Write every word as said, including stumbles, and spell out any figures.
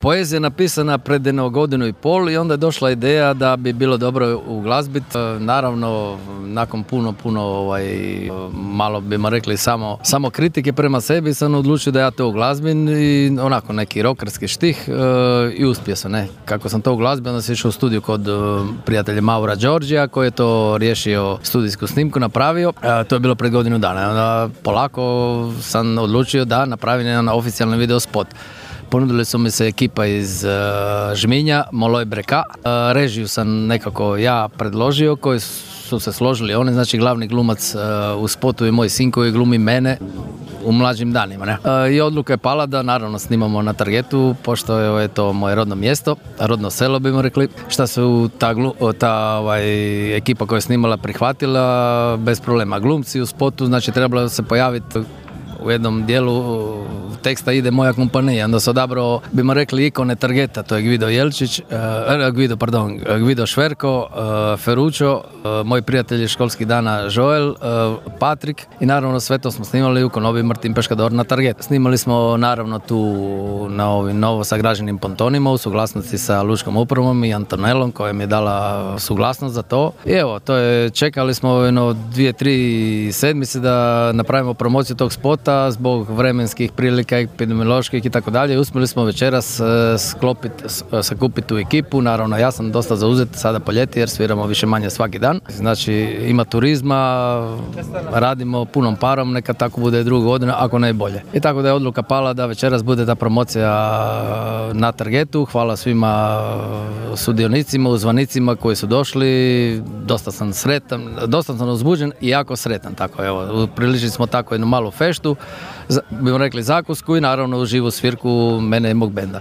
Poezija je napisana pred jedno godinu i pol i onda je došla ideja da bi bilo dobro uglazbiti. Naravno, nakon puno, puno ovaj, malo bimo rekli samo, samo kritike prema sebi, sam odlučio da ja to uglazbim i onako neki rokerski štih i uspio sam. Ne. Kako sam to uglazbio, onda sam išao u studiju kod prijatelja Maura Đorđija koji je to riješio, studijsku snimku napravio. To je bilo pred godinu dana. Onda polako sam odlučio da napravim jedan oficijalni video spot. Ponudili su mi se ekipa iz uh, Žminja, Moloj Breka. Uh, režiju sam nekako ja predložio, koji su se složili oni, znači glavni glumac uh, u spotu je moj sin koji glumi mene u mlađim danima. Ne? Uh, I odluka je pala da naravno snimamo na Targetu, pošto je to moje rodno mjesto, rodno selo bimo rekli, šta su ta, glu, ta ovaj, ekipa koja je snimala prihvatila bez problema. Glumci u spotu, znači trebalo se pojaviti u jednom dijelu teksta ide moja kompanija, onda se odabrao, bimo rekli, ikone Targeta, to je Gvido Jelčić, uh, Gvido, pardon, Gvido Šverko, uh, Feručo, uh, moji prijatelji školskih dana Joel, uh, Patrik i naravno sve to smo snimali u Konobi Martin Peškador na Target. Snimali smo naravno tu na ovim novo sagrađenim pontonima u suglasnosti sa Lučkom upravom i Antonelom koja mi je dala suglasnost za to. I evo, to je, čekali smo jedno dvije, tri sedmice da napravimo promociju tog spota zbog vremenskih prilika, epidemioloških i tako dalje. Uspjeli smo večeras sklopiti, sakupiti tu ekipu. Naravno, ja sam dosta zauzet sada po ljeti jer sviramo više manje svaki dan. Znači, ima turizma, radimo punom parom, neka tako bude drugu godinu, ako ne bolje. I tako da je odluka pala da večeras bude ta promocija na Targetu. Hvala svima sudionicima, uzvanicima koji su došli. Dosta sam sretan, dosta sam uzbuđen i jako sretan. Tako, evo, priličili smo tako jednu malu feštu, bimo rekli zakusku i naravno u živu svirku mene i mog benda.